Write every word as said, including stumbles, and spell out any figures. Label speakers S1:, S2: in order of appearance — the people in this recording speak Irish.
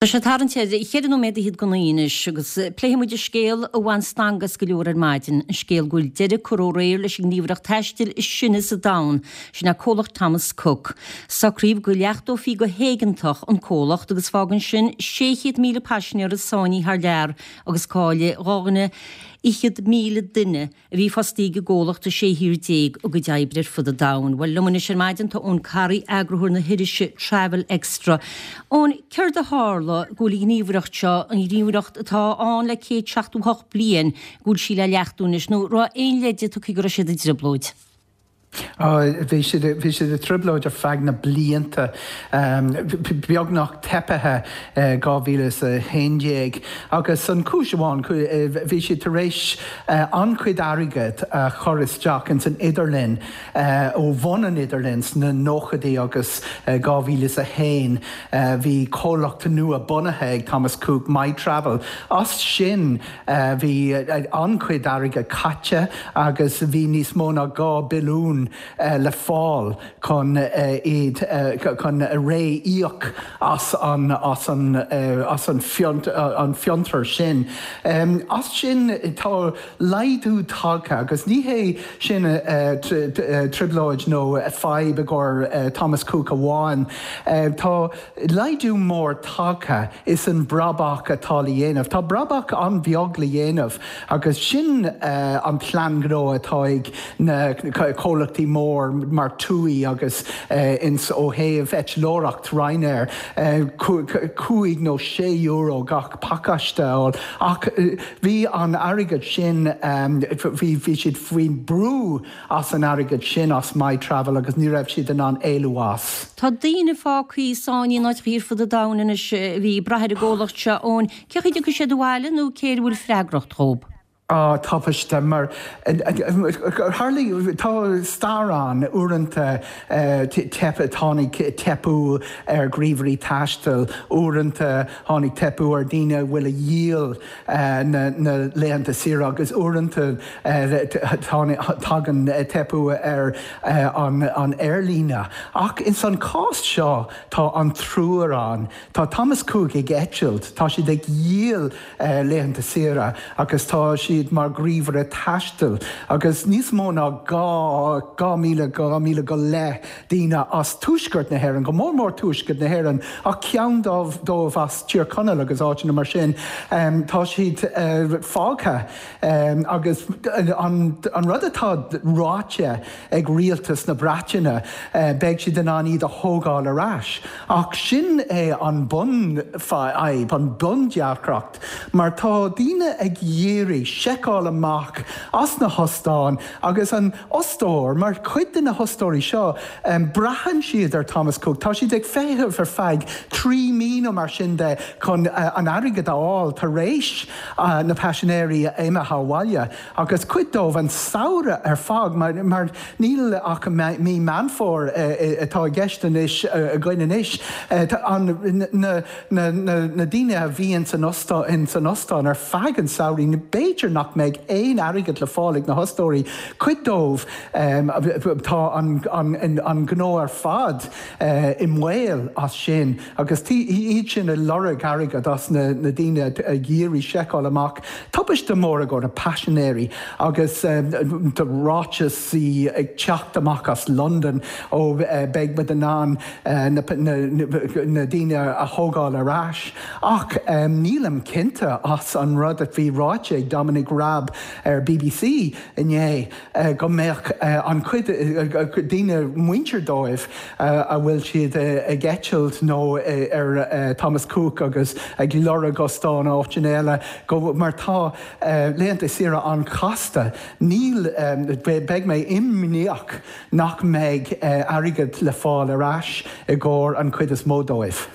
S1: Tá sé tarraingt ar cheithre nóiméad fhichead go naoi anois agus pléifidh muid an scéal a bhain stangadh as go leor ar maidin, an scéal go bhfuil deireadh curtha aréir leis an ngníomhaireacht taistil is sine sa domhan, sin é comhlacht Thomas Cook. Socraíodh go leachtófaí go héigeantach an comhlacht agus fágann sin sé chéad míle paisinéir sáinnithe thar lear agus caillfidh dhá dhuine fhichead míle duine a bhí fostaí ag an gcomhlacht i sé thír déag a gcuid oibre ar fud an domhain. Bhuel, liom anois ar maidin tá Eoin Corry, eagarthóir na hirise Travel Extra. Eoin, céard a tharla go bhfuil an ghníomhaireacht seo, an ghníomhaireacht atá ann le céad seachtó hocht bliain, go bhfuil sí le leachtú anois, nó raibh aon leide tugtha go raibh siad i dtrioblóid?
S2: Bhí siad bhí siad i dtrioblóid ar feadh na blianta, beagnach teipithe dhá mhíle is a haon déag agus an chúis amháin, bhí siad tar éis an-chuid airgead a chur isteach ins an idirlinn ó bhun an idirlinn sna nóchaidí agus dhá mhíle is a haon bhí comhlacht nua bunaithe ag Thomas Cook, MyTravel. As sin bhí an-chuid airgead caite agus bhí níos mó ná dhá billiún le fáil chun iad chun ré-íoc as an as an as an an fiontar sin. As sin tá laghdú tagtha agus ní hé sin trioblóid nó fadhb i gcomhair Thomas Cook amháin. Tá laghdú mór tagtha is an brabach atá le dhéanamh. Tá brabach an-bheag le dhéanamh agus sin an plean gnó atá ag na comhlachtaí mór mar TUI agus ins ó thaobh eitleoireacht Ryanair cúig nó sé euro gach pacáiste a fháil ach bhí an airgead sin bhí bhí siad faoin brú as an airgead sin as MyTravel agus ní raibh siad in ann éalú as.
S1: Tá daoine fágtha sáinnithe in áiteacha ar fud an domhain anois a bhí ag brath ar an gcomhlacht seo Eoin, cén chaoi a dtiocfaidh siad abhaile nó cé a bhfuil freagracht dhóibh?
S2: Á, tubaiste, mar tharlaigh, tá stair ann, uaireanta teip, tháinig teipeadh ar ghníomhairí taistil, uaireanta tháinig teipeadh ar daoine a bhfuil a dhíol na na laethanta saoire agus uaireanta tagann teipeadh ar an an aerlíne. Ach ins an cás seo tá an triúr ann. Tá Thomas Cook ag eitilt, tá siad ag dhíol laethanta saoire agus tá siad mar ghníomhaire taistil agus níos mó ná dhá dhá míle dhá míle go leith daoine as tuaisceart na hÉireann, go mór mór tuaisceart na hÉireann ach ceann dóibh as Tír Chonaill agus áiteanna mar sin, tá siad fágtha agus an an rud atá ráite ag rialtas na Breataine, beidh siad in ann iad a thógáil ar ais. Ach sin é an bunfhadhb, an bundeacracht, mar tá daoine ag iarraidh seiceáil amach as na hóstáin agus an fhostóir, mar chuid de na hostóirí seo, braitheann siad ar Thomas Cook, tá siad ag feitheamh ar feadh trí mí nó mar sin de chun an airgead a fháil tar éis na paisinéirí a imithe abhaile agus cuid dóibh an samhradh ar fad mar mar níl ach mí Meán Fómhair atá i gceist anois againn anois. Na na daoine a bhí ins an ostán ar feadh an samhraidh, b'fhéidir nach mbeidh aon airgead le fáil ag na hostóirí. Cuid dóibh, tá an gnó ar fad i mbaol as sin agus iad sin ag lorg airgead as na daoine ag iarraidh seiceáil amach. Tubaiste mór i gcomhair na paisinéirí agus tá ráiteasaí ag teacht amach as Londain ó beidh muid in ann na daoine a thógáil ar ais. Ach nílim cinnte as an rud a bhí ráite ag Dominic Raab ar B B C inné go mbeadh an chuid daoine muintir dóibh a bhfuil siad ag eitilt nó ar Thomas Cook agus ag lorg ostán áiteanna eile go mar tá laethanta saoire an-chasta. Níl beidh mé imníoch nach mbeidh airgead le fáil ar ais i gcomhair an chuid is mó dóibh.